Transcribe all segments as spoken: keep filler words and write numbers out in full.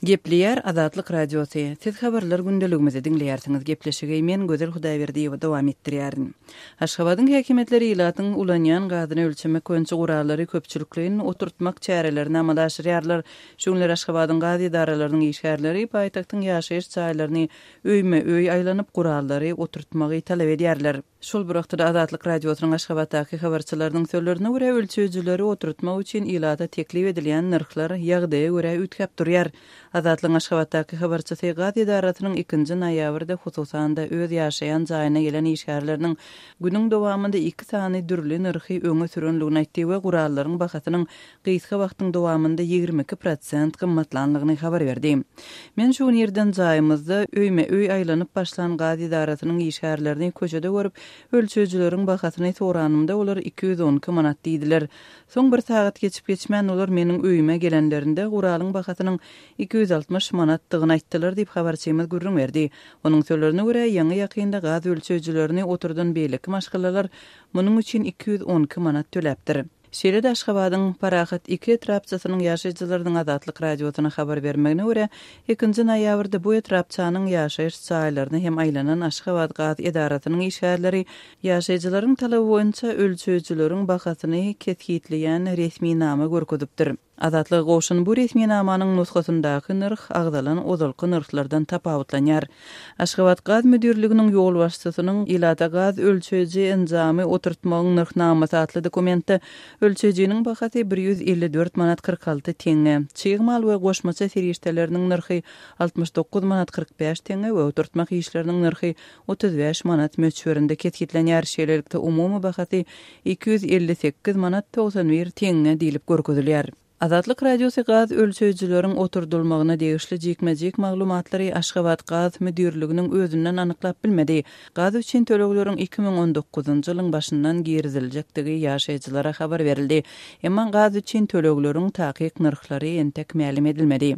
Gepleýär Azatlyk Radiosy. Siz habarlar gündeligimizi diňleýärsiňiz. Gepleşigi men Gözel Hudaýberdiýewa dowam etdirýärin. Aşgabadyň häkimiýetleri ilatyň ulanýan gazyny ölçemek boýunça gurallary köpçülikleýin oturtmak çärelerini amala aşyrýarlar. Şu günler Aşgabadyň gaz edaralarynyň işgärleri paýtagtyň ýaşaýyş jaýlaryny öýme-öý aýlanyp gurallary oturtmagy talap edýärler. Şol bir wagtda Azatlyk Radiosynyň Aşgabatdaky habarçylarynyň sözlerine görä ölçeýjileri oturtmak üçin ilata teklip edilýän nyrhlar ýagdaýa görä üýtgäp durýar. Azatlygyň Aşgabatdaky habarçysy gaz edarasynyň ikinji noýabrda hususan-da öz ýaşaýan jaýyna gelen işgärleriniň günüň dowamynda iki sany dürli nyrhy öňe sürenligini aýtdy we gurallaryň bahasynyň gysga wagtyň dowamynda ýigrimi iki prosent gymmatlanlygyny habar berdi. Men şu gün ýerden jaýymyzda öýme öý aýlanyp başlan gaz edarasynyň işgärlerini köçede görüp, ölçeýjileriň bahasyny soranymda olar iki ýüz on iki manat diýdiler. Soň bir sagat geçip geçmän olar meniň öýüme gelenlerinde guralyň bahasynyň iki ýüz altmyş manatdygyny aýtdylar diýip habarçymyz gürrüň berdi. Onuň sözlerine görä ýaňy ýakynda gaz ölçeýjilerini oturdan beýleki maşgalalar munuň üçin iki ýüz on iki manat töläpdir. Şeýle-de Aşgabadyň Parahat iki etrapçasynyň ýaşaýjylarynyň Azatlyk Radiosyna habar bermegine görä, ikinji noýabrda bu etrapçanyň ýaşaýyş jaýlaryna hem aýlanan Aşgabat gaz edarasynyň işgärleri ýaşaýjylaryň talaby boýunça ölçeýjileriň bahasyny kesgitleýän resminama görkezipdir. Azatlyga gowşan bu resminamanyň nusgasyndaky nyrh agzalan ozalky nyrhlardan tapawutlanýar. Aşgabat gaz müdirliginiň ýolbaşçysynyň ilata gaz ölçeýji enjamy oturtmagyň nyrhnamasy atly dokumentde ölçeýjiniň bahasy bir ýüz elli dört manat kyrk alty teňňe, çig mal we goşmaça serişdeleriniň nyrhy altmyş dokuz manat kyrk bäş teňňe we oturtmak işleriniň nyrhy otuz bäş manat möçberinde kesgitlenýär. Şeýlelikde umumy bahasy iki ýüz elli sekiz manat togsan bir teňňe diýlip görkezilýär. Azatlyk Radiosy gaz ölçeýjileriň oturdylmagyna degişli jikme-jik maglumatlary Aşgabat gaz müdirliginiň özünden anyklap bilmedi. Gaz üçin tölegleriň iki müň on dokuzynjy ýylyň başyndan giriziljekdigi ýaşaýjylara habar berildi. Emma gaz üçin tölegleriň takyk nyrhlary entek mälim edilmedi.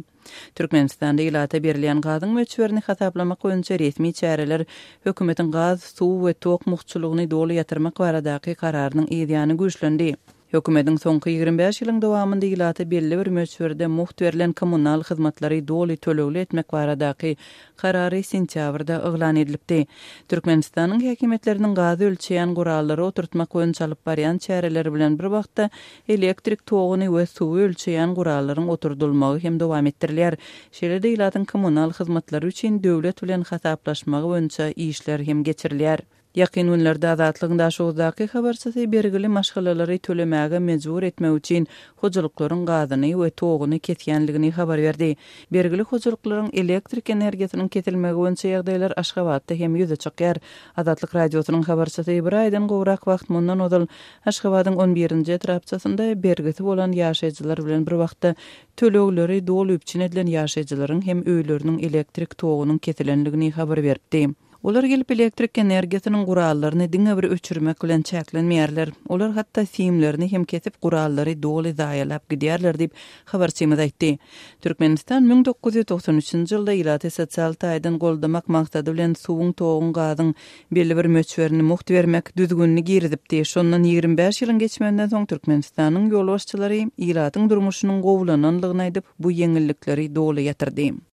Türkmenistanda ilata berilýän gazyň möçberini hasaplamak boýunça resmi çäreler hökümetiň gaz, suw we tok muhtçulygyny doly ýatyrmak baradaky kararynyň ýany güýçlendi. Hökümetiň soňky ýigrimi bäş ýylyň dowamynda ilata belli bir möçberde muht berlen kommunal hyzmatlary doly tölegli etmek baradaky karary sentýabrda yglan edilipdi. Türkmenistanyň häkimiýetleriniň gazy ölçeýän gurallary oturtmak boýunça alyp barýan çäreleri bilen bir wagtda elektrik toguny we suwy ölçeýän gurallaryň oturdylmagy hem dowam etdirilýär. Şeýle-de ilatyň kommunal hyzmatlary üçin döwlet bilen hasaplaşmagy boýunça işler hem geçirilýär. Ýakyn günlerde Azatlygyň Daşoguzdaky habarçysy bergili maşgalalary tölemäge mejbur etmek üçin hojalyklaryň gazyny we toguny kesýänligini habar berdi. Bergili hojalyklaryň elektrik energiýasynyň kesilmegi boýunça ýagdaýlar Aşgabatda hem ýüze çykýar. Azatlyk Radiosynyň habarçysy bir aýdan gowrak wagt mundan ozal Aşgabadyň on birinji etrapçasynda bergisi bolan ýaşaýjylar bilen bir wagtda tölegleri doly üpjün edilen ýaşaýjylaryň hem öýleriniň elektrik togunyň kesilenligini habar beripdi. Olar gelip elektrik energiýasynyň gurallaryny diňe bir öçürmek bilen çäklenmeýärler. Olar hatda simlerini hem kesip gurallary doly zaýalap gidýärler diýip habarçymyz aýtdy. Türkmenistan müň dokuz ýüz togsan üçünji ýylda ilaty sosial taýdan goldamak maksady bilen suwuň, toguň, gazyň belli bir möçberini muht bermek düzgünini girizipdi. Şondan ýigrimi bäş ýylyň geçmeginden soň Türkmenistanyň ýolbaşçylary ilatyň durmuşynyň gowulananlygyny aýdyp, bu ýeňillikleri doly ýatyrdy.